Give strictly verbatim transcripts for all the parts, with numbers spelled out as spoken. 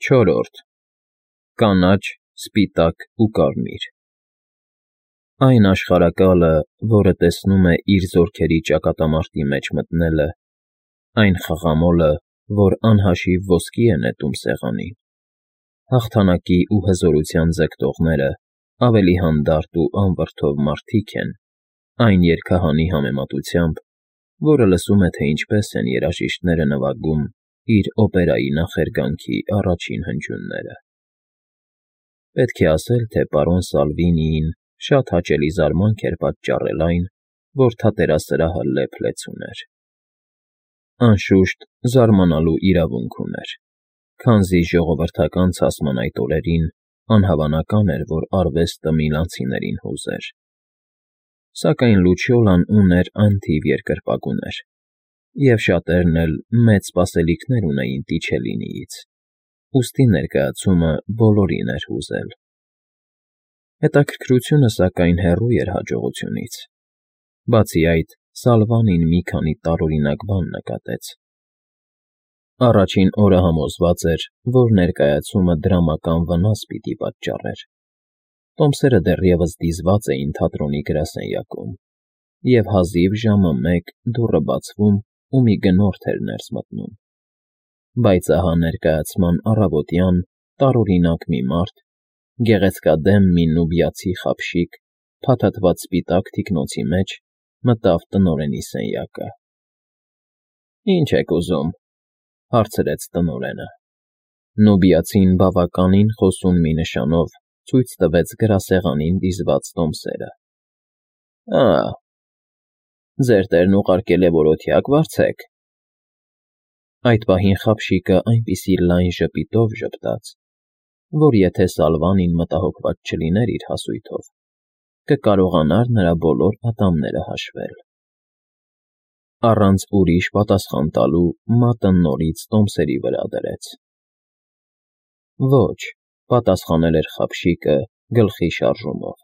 Չորրորդ Կանաչ, սպիտակ ու կարմիր Այն աշխարհակալը, որը տեսնում է իր զորքերի ճակատամարտի մեջ մտնելը, այն խղամոլը, որ անհաշիվ ոսկի է նետում սեղանին, հաղթանակի ու հզորության ձգտողները ավելի հանդարտ ու անվրդով մարդիկ են այն երգահանի համեմատությամբ, որը լսում է, թե ինչպես են երաժիշտները նվագում իր օպերայի նախերգանքի առաջին հնչյունները։ Պետք է ասել, թե պարոն Սալվինիին շատ հաճելի զարմանք էր պատճառել այն, որ թատերասրահը լեփ-լեցուն ուներ։ Անշուշտ, զարմանալու իրավունք ուներ, քանզի ժողովրդական ցասման այդ օրերին անհավանական էր, որ արվեստը միլանցիներին հուզեր։ Սակայն Լուչիոլան ուներ անթիվ երկրպագուներ, և շատերն էլ մեծ սպասելիքներ ունեին Տիչելինիից, ուստի ներկայացումը բոլորին էր հուզել։ Հետաքրքրությունը, սակայն, հեռու էր հաջողությունից։ Բացի այդ, Սալվանին մի քանի տարօրինակ բան նկատեց։ Առաջին օրը համոզված էր, որ ներկայացումը դրամական վնաս պիտի պատճառեր։ Տոմսերը դեռևս դիզված էին թատրոնի գրասենյակում, և հազիվ ժամը մեկ դուռը բացվում ու մի գնորդ էր ներս մտնում։ Բայց ահա ներկայացման առավոտյան տարօրինակ մի մարդ, գեղեցկադեմ մի նուբիացի խապշիկ, փաթաթված սպիտակ թիկնոցի մեջ մտավ տնօրենի սենյակը։ ֊ Ի՞նչ եք ուզում,֊ հարցրեց տնօրենը։ Նուբիացին բավականին խոսուն մի նշանով ցույց տվեց գրասեղանին դիզված տոմսերը։ ֊ Ա՜, ձեր տերն ուղարկել է, որ օթյակ վարձեք։ Այդ պահին խապշիկը այնպիսի լայն ժպիտով ժպտաց, որ եթե Սալվանին մտահոգված չլիներ իր հասույթով, կկարողանար նրա բոլոր ատամները հաշվել։ Առանց ուրիշ պատասխան տալու մատը նորից տոմսերի վրա դրեց։ ֊ Ոչ,֊ պատասխանել էր խապշիկը գլխի շարժումով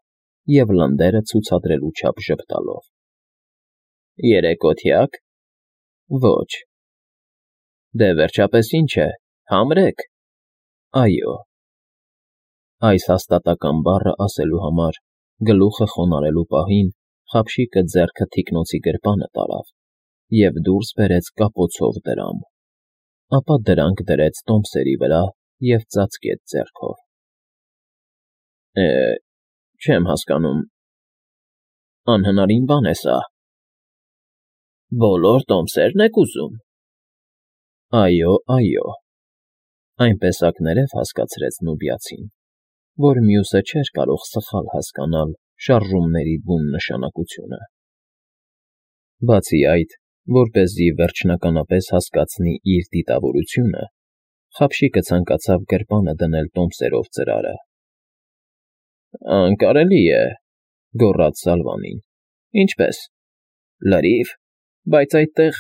և լնդերը ցուցադրելու չափ ժպտալով։ ֊ Երեկ օթյա՞կ։ ֊ Ոչ։ ֊ Դե, վերջապես, ի՞նչ է, համրե՞ք։ ֊ Այո։ Այս հաստատակամ բառը ասելու համար գլուխը խոնարհելու պահին խապշիկը ձեռքը թիկնոցի գրպանը տարավ և դուրս բերեց կապոցով դրամ, ապա դրանք դրեց տոմսերի վրա և ծածկեց ձեռքով։ ֊ Է, չեմ հասկանում, անհնարին բան է սա։ ֊ Բոլոր տոմսե՞րն եք ուզում։ ֊ Այո, այո,֊ այնպեսակներև հասկացրեց նուբիացին, որ մյուսը չէր կարող սխալ հասկանալ շարժումների բուն նշանակությունը։ Բացի այդ, որպեսզի վերջնականապես հասկացնի իր դիտավորությունը, խապշիկը ցանկացավ գրպանը դնել տոմսերով ծրարը։ ֊ Անկարելի է,֊ գոռաց Սալվանին։ ֊ Ինչպե՞ս։ ֊ Լրիվ, բայց այդտեղ…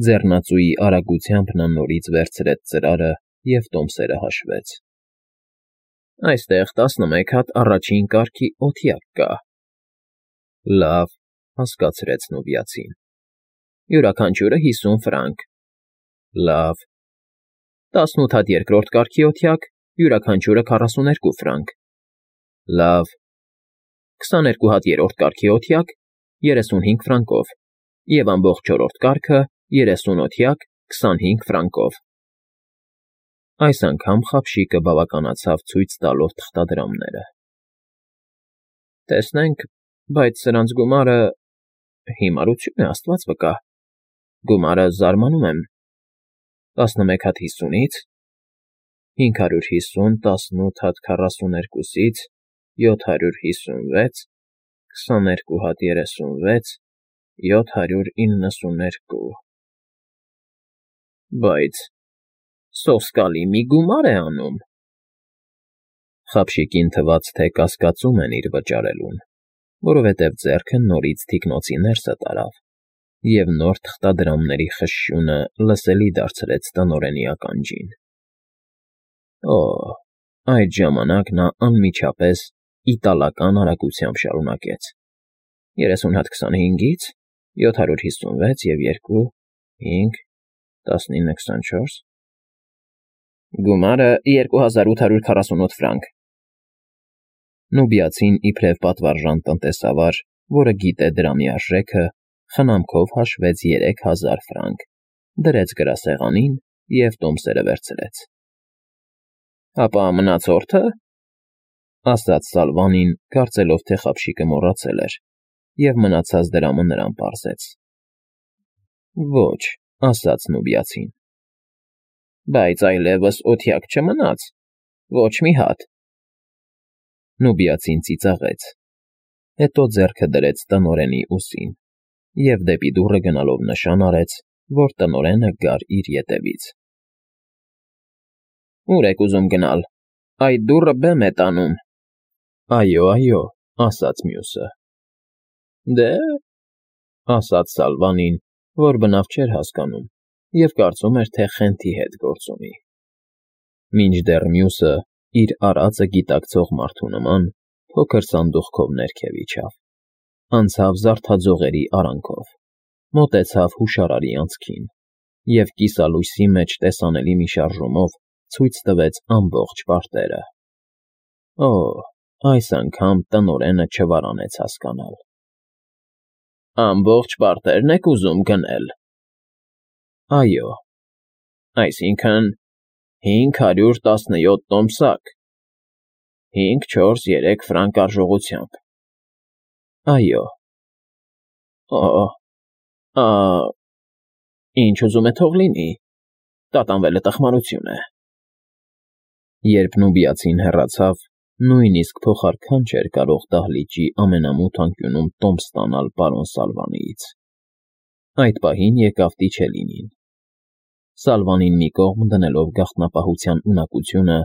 Ձեռնածուի արագությամբ նա նորից վերցրեց ծրարը և տոմսերը հաշվեց։ ֊ Այստեղ տասնմեկ հատ առաջին կարգի օթյակ կա։ ֊ Լավ,֊ հասկացրեց նուբիացին։ ֊ Յուրաքանչյուրը հիսուն ֆրանկ։ ֊ Լավ։ ֊ Տասնութ հատ երկրորդ կարգի օթյակ, յուրաքանչյուրը քառասուներկու ֆրանկ։ ֊ Լավ։ ֊ Քսաներկու հատ երրորդ կարգի օթյակ, երեսունհինգ ֆրանկով, և ամբողջ չորրորդ կարգը երեսուն օթյակ, քսանհինգ ֆրանկով։ Այս անգամ խապշիկը բավականացավ ցույց տալով թղթադրամները։ ֊ Տեսնենք, բայց սրանց գումարը… Հիմարություն է, աստված վկա… Գումարը, զարմանում եմ… տասնմեկ հատ հիսունից, հինգ հարյուր հիսուն տասնութ հատ քառասուներկուսից, յոթ հարյուր հիսունվեց, քսաներկու հատ երեսունվեց, յոթ հարյուր իննսուներկու… Բայց… սոսկալի մի գումար է անում… Խապշիկին թվաց, թե կասկածում են իր վճարելուն, որովհետև ձեռքը նորից թիկնոցի ներսը տարավ և նոր թղթադրամների խշշյունը լսելի դարձրեց տնօրենի ականջին։ Օ՜, այդ ժամանակ նա անմիջապես իտալական արագությամբ շարունակեց. երեսուն հատ քսանհինգից, յոթ հարյուր հիսունվեց և երկու, հինգ, տասնինը քսանչորս… Գումարը երկու հազար ութ հարյուր քառասունութ ֆրանկ։ Նուբիացին իբրև պատվարժան տնտեսավար, որը գիտե դրամի արժեքը, խնամքով հաշվեց երեք հազար ֆրանկ, դրեց գրասեղանին և տոմսերը վերցրեց։ Ապա մնացորդը, ասաց Սալվանին, կարծելով, թե խաբշիկը մոռացել էր, և մնացած դրամը նրան պարզեց։ Ոչ, ասաց նուբիացին։ Բայց այլևս օթյակ չմնաց, ոչ մի հատ։ Նուբիացին ծիծաղեց, հետո ձեռքը դրեց տնօրենի ուսին և դեպի դուռը գնալով նշան արեց, որ տնօրենը գար իր ետևից։ Ո՞ւր եք ուզում գնալ, այդ դուռը բեմ է տանում։ Այո, այո, ասաց մյուսը։ Դե, ասաց Սալվանին, որ բնավ չէր հասկանում և կարծում էր, թե Խենթի հետ գործ ունի։ Մինչդեռ մյուսը, իր արածը գիտակցող մարդու նման, փոքր սանդուղքով ներքև իջավ, անցավ զարդաձողերի արանքով, մոտեցավ հուշարարի անցքին և կիսալույսի մեջ տեսանելի մի շարժումով ցույց տվեց ամբողջ պարտերը։ Օ՜, այս անգամ տնօրենը չվարանեց հասկանալ։ Ամբողջ պարտե՞րն եք ուզում գնել։ Այո, այսինքն՝ հինգ հարյուր տասնյոթ տոմսակ, հինգ, չորս, երեք ֆրանկ արժողությամբ։ Այո։ Օ՜, ա, ինչ ուզում է թող լինի, տատանվելը տխմարություն է։ Երբ նուբիացին հեռացավ, նույնիսկ փոխարքան չէր կարող դահլիճի ամենամութ անկյունում տոմս ստանալ պարոն Սալվանիից։ Այդ պահին եկավ Տիչելինին։ Սալվանին մի կողմ դնելով գաղտնապահության ունակությունը,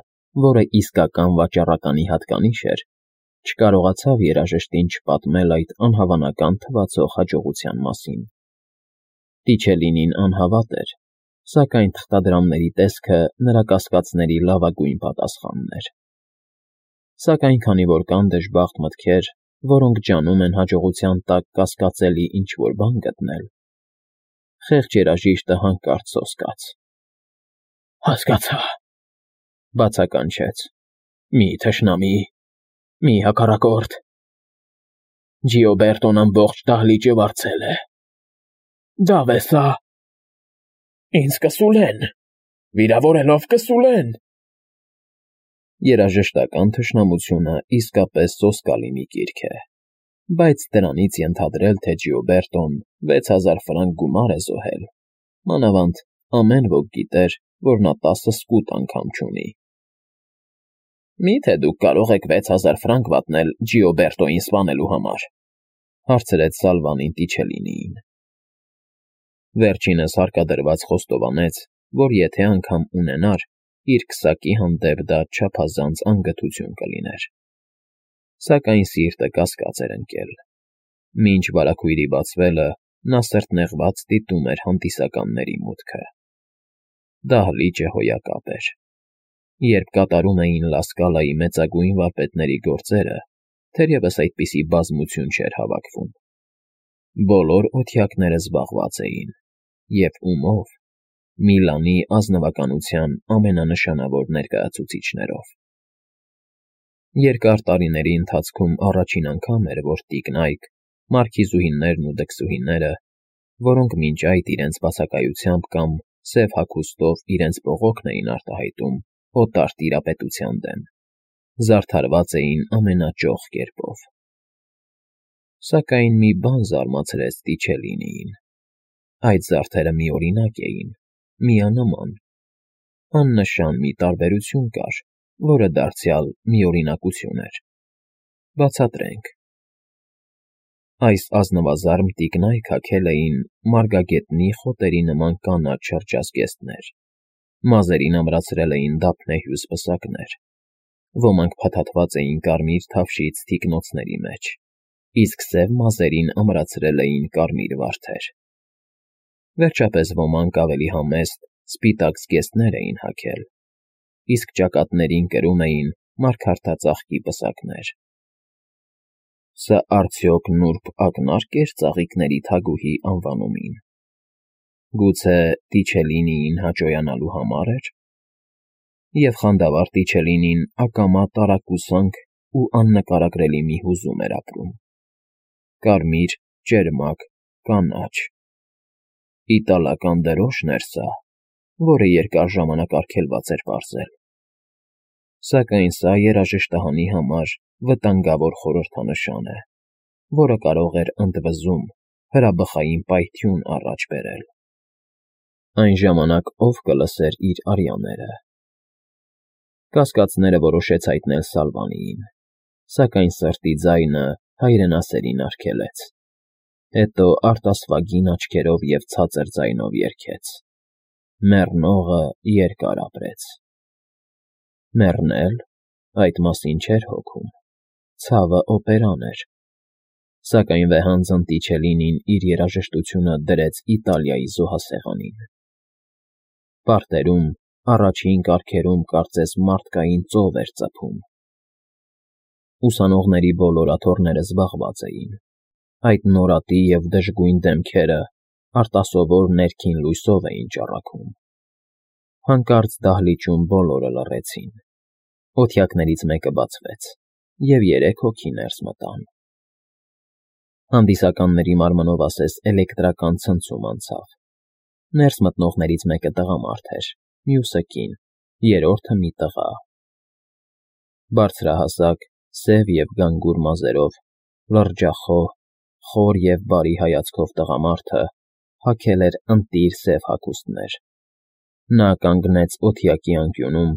որը իսկական վաճառականի հատկանիշ էր, չկարողացավ երաժշտին չպատմել այդ անհավանական թվացող հաջողության մասին։ Տիչելինին անհավատ էր, սակայն թղթադրամների տեսքը նրա կասկածների լավագույն պատասխանն էր։ Սակայն քանի որ կան դժբախտ մտքեր, որոնք ջանում են հաջողության տակ կասկածելի ինչ-որ բան գտնել, խեղճ երաժիշտը հանկարծ սոսկաց։ Հասկացա, բացականչեց, մի թշնամի, մի հակառակորդ։ Ջիոբերտոն ամբողջ դահլիճը վարձել է։ Դավ է սա։ Ինձ կսուլեն, վիրավորելով կսուլեն։ Երաժշտական թշնամությունը իսկապես սոսկալի մի կիրք է, բայց դրանից ենթադրել, թե Ջիոբերտոն վեց հազար ֆրանկ գումար է զոհել, մանավանդ ամեն ոք գիտեր, որ նա տասը սկուտ անգամ չունի։ Մի՞թե դուք կարող եք վեց հազար ֆրանկ վատնել Ջիոբերտոյին սպանելու համար, հարցրեց Սալվանին Տիչելինիին։ Վերջինս հարկադրված խոստովանեց, որ եթե անգամ ունենար, իր քսակի հանդեպ դա չափազանց անգթություն կլիներ։ Սակայն սիրտը կասկած էր ընկել։ Մինչ վարագույրի բացվելը նա սրտնեղված դիտում էր հանդիսականների մուտքը։ Դահլիճը հոյակապ էր։ Երբ կատարում էին Լա Սկալայի մեծագույն վարպետների գործերը, թերևս այդպիսի բազմություն չէր հավաքվում։ Բոլոր օթյակները զբաղված էին, և ումո՞վ։ Միլանի ազնվականության ամենանշանավոր ներկայացուցիչներով։ Երկար տարիների ընթացքում առաջին անգամ էր, որ տիկնայք, մարքիզուհիներն ու դքսուհիները, որոնք մինչ այդ իրենց բացակայությամբ կամ սև հագուստով իրենց բողոքն էին արտահայտում օտար տիրապետության դեմ, զարդարված էին ամենաճոխ կերպով։ Սակայն մի բան զարմացրեց Տիչելինիին։ Այդ զարդերը միօրինակ էին, միանման։ Աննշան մի տարբերություն կար, որը դարձյալ միօրինակություն էր։ Բացատրենք։ Այս ազնվազարմ տիկնայք հագել էին մարգագետնի խոտերի նման կանաչ շրջազգեստներ, մազերին ամրացրել էին դափնեհյուզ պսակներ, ոմանք փաթաթված էին կարմիր թավշից թիկնոցների մեջ, իսկ սև մազերին ամրացրել էին կարմիր վարդեր։ Վերջապես ոմանք ավելի համեստ, սպիտակ զգեստներ էին հագել, իսկ ճակատներին կրում էին մարգարտածաղկի պսակներ։ Սա արդյոք նուրբ ակնա՞րկ էր ծաղիկների թագուհի անվանումին։ Գուցե Տիչելինիին հաճոյանալու համար էր։ և խանդավառ Տիչելինին ակամա տարակուսանք ու աննկարագրելի մի հուզում էր ապրում. կարմիր, ճերմակ, կանաչ… Իտալական դրոշն էր սա, որը երկար ժամանակ արգելված էր պարզել, սակայն սա երաժշտահանի համար վտանգավոր խորհրդանշան է, որը կարող էր ընդվզում, հրաբխային պայթյուն առաջ բերել… Այն ժամանակ ո՞վ կլսեր իր արյաները… Կասկածները որոշեց հայտնել Սալվանիին, սակայն սրտի ձայնը հայրենասերին արգելեց, հետո արտասվագին աչքերով և ցածր ձայնով երգեց. «Մեռնողը երկար ապրեց»… Մեռնե՞լ, այդ մասին չէր հոգում, ցավը օպերան էր, սակայն վեհանձն Տիչելինին իր երաժշտությունը դրեց Իտալիայի զոհասեղանին… Պարտերում, առաջին կառքերում կարծես մարդկային ծով էր ծփում… Ուսանողների բոլոր աթոռները զբաղված էին, այդ նորատի և դժգույն դեմքերը արտասովոր ներքին լույսով էին ճառագում… Հանկարծ դահլիճում բոլորը լռեցին, օթյակներից մեկը բացվեց, և երեք հոգի ներս մտան… Հանդիսականների մարմնով ասես էլեկտրական ցնցում անցավ… Ներս մտնողներից մեկը տղամարդ էր, մյուսը՝ կին, երրորդը՝ մի տղա… Բարձրահասակ, սև և գանգուր մազերով, լրջախոհ, խոր և բարի հայացքով տղամարդը հագել էր ընտիր սև հագուստներ… Նա կանգնեց օթյակի անկյունում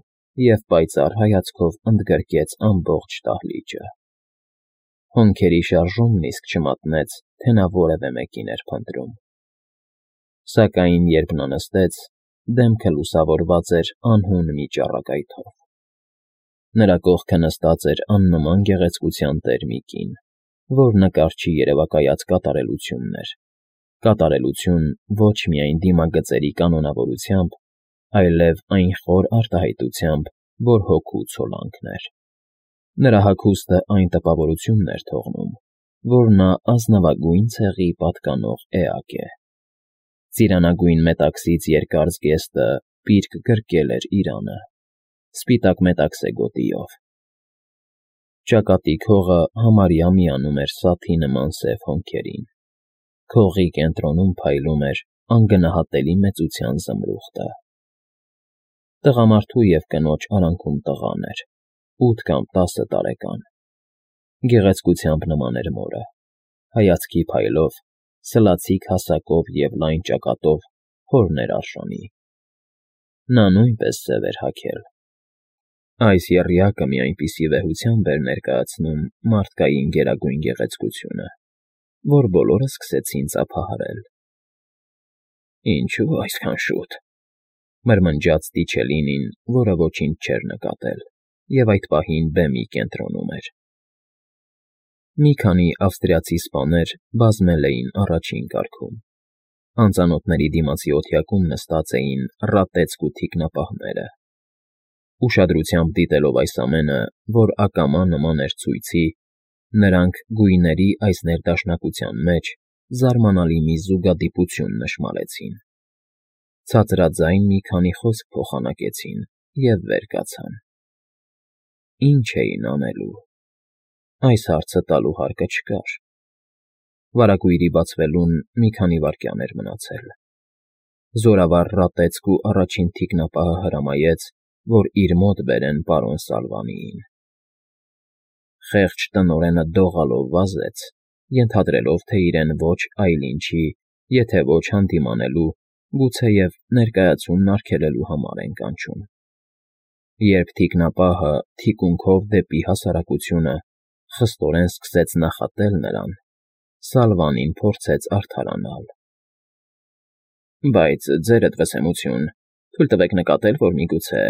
և պայծառ հայացքով ընդգրկեց ամբողջ դահլիճը… Հոնքերի շարժումն իսկ չմատնեց, թե նա որևէ մեկին էր փնտրում… Սակայն երբ նա նստեց, դեմքը լուսավորված էր անհուն մի ճառագայթով… Նրա կողքը նստած էր աննման գեղեցկության տեր մի կին, որ նկարչի երևակայած կատարելությունն էր, կատարելություն ոչ միայն դիմագծերի կանոնավորությամբ, այլև այն խոր արտահայտությամբ, որ հոգու ցոլանքն էր… Նրա հագուստը այն տպավորությունն էր թողնում, որ նա ազնվագույն ցեղի պատկանող էակ է… Ծիրանագույն մետաքսից երկար զգեստը պիրկ գրկել էր իրանը, սպիտակ մետաքսե գոտիով… Ճակատի քողը համարյա միանում էր սաթի նման սև հոնքերին, քողի կենտրոնում փայլում էր անգնահատելի մեծության զմրուխտը… Տղամարդու և կնոջ արանքում տղան էր, ութ կամ տասը տարեկան, գեղեցկությամբ նման էր մորը, հայացքի փայլով, սլացիկ հասակով և լայն ճակատով հորն էր արժանի… Նա նույնպես սև էր հագել… Այս եռյակը մի այնպիսի վեհությամբ էր ներկայացնում մարդկային գերագույն գեղեցկությունը, որ բոլորը սկսեցին ծափահարել… «Ինչո՞ւ այսքան շուտ,֊ մրմնջաց Տիչելինին, որը ոչինչ չէր նկատել և այդ պահին բեմի կենտրոնում էր… Մի քանի ավստրիացի սպաներ բազմել էին առաջին կարգում, անծանոթների դիմացի օթյակում նստած էին ռատեծք ու թիկնապահները… Ուշադրությամբ դիտելով այս ամենը, որ ակամա նման էր ցույցի, նրանք գույների այս ներդաշնակության մեջ զարմանալի մի զուգադիպություն նշմարեցին… Ցածրաձայն մի քանի խոսք փոխանակեցին և վեր կացան… Ի՞նչ էին անելու… Այս հարցը տալու հարկը չկար… Վարագույրի բացվելուն մի քանի վայրկյան էր մնացել… Զորավար ռատեծք ու առաջին թիկնապահը հրամայեց, որ իր մոտ բերեն պարոն Սալվանիին… Խեղճ տնօրենը դողալով վազեց, ենթադրելով, թե իրեն ոչ այլ ինչի, եթե ոչ հանդիմանելու, գուցեև ներկայացումն արգելելու համար են կանչում… Երբ թիկնապահը թիկունքով դեպի հասարակությունը խստորեն սկսեց նախատել նրան, Սալվանին փորձեց արդարանալ. «Բայց, ձերդ վսեմություն, թույլ տվեք նկատել, որ միգուցե…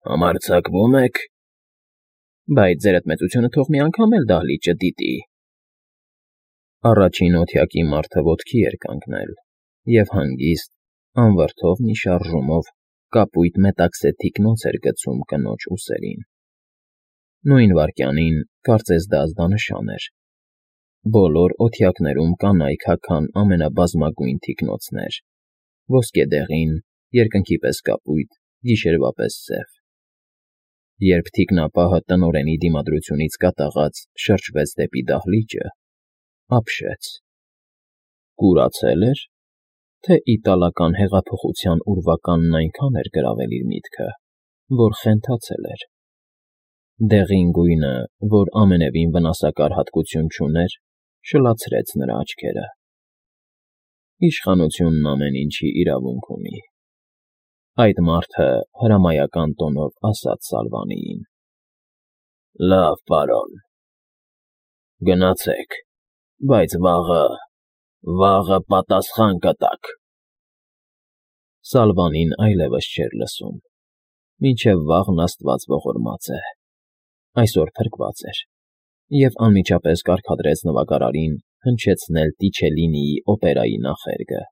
համարձակվո՞ւմ եք… Բայց ձերդ մեծությունը թող մի անգամ էլ դահլիճը դիտի…» Առաջին օթյակի մարդը ոտքի էր կանգնել և հանգիստ, անվրդով մի շարժումով կապույտ մետաքսե թիկնոց էր գցում կնոջ ուսերին… Նույն վայրկյանին, կարծես դա ազդանշան էր, բոլոր օթյակներում կանայք հագան ամենաբազմագույն թիկնոցներ, ոսկեդեղին, երկնքի պես կապույտ, գիշերվա պես սև… Երբ թիկնապահը տնօրենի դիմադրությունից կատաղած շրջվեց դեպի դահլիճը, ապշեց. կուրացե՞լ էր, թե իտալական հեղափոխության ուրվականն այնքան էր գրավել իր միտքը, որ խենթացել էր։ Դեղին գույնը, որ ամենևին վնասակար հատկություն չուներ, շլացրեց նրա աչքերը։ Իշխանությունն ամեն ինչի իրավունք ունի, այդ մարդը հրամայական տոնով ասաց Սալվանիին։ Լավ, պարոն, գնացեք, բայց վաղը, վաղը պատասխան կտաք։ Սալվանին այլևս չէր լսում, մինչև վաղն աստված ողորմած է, այսօր փրկված էր, և անմիջապես կարգադրեց նվագարարին հնչեցնել Տիչելլինիի օպերայի նախերգը։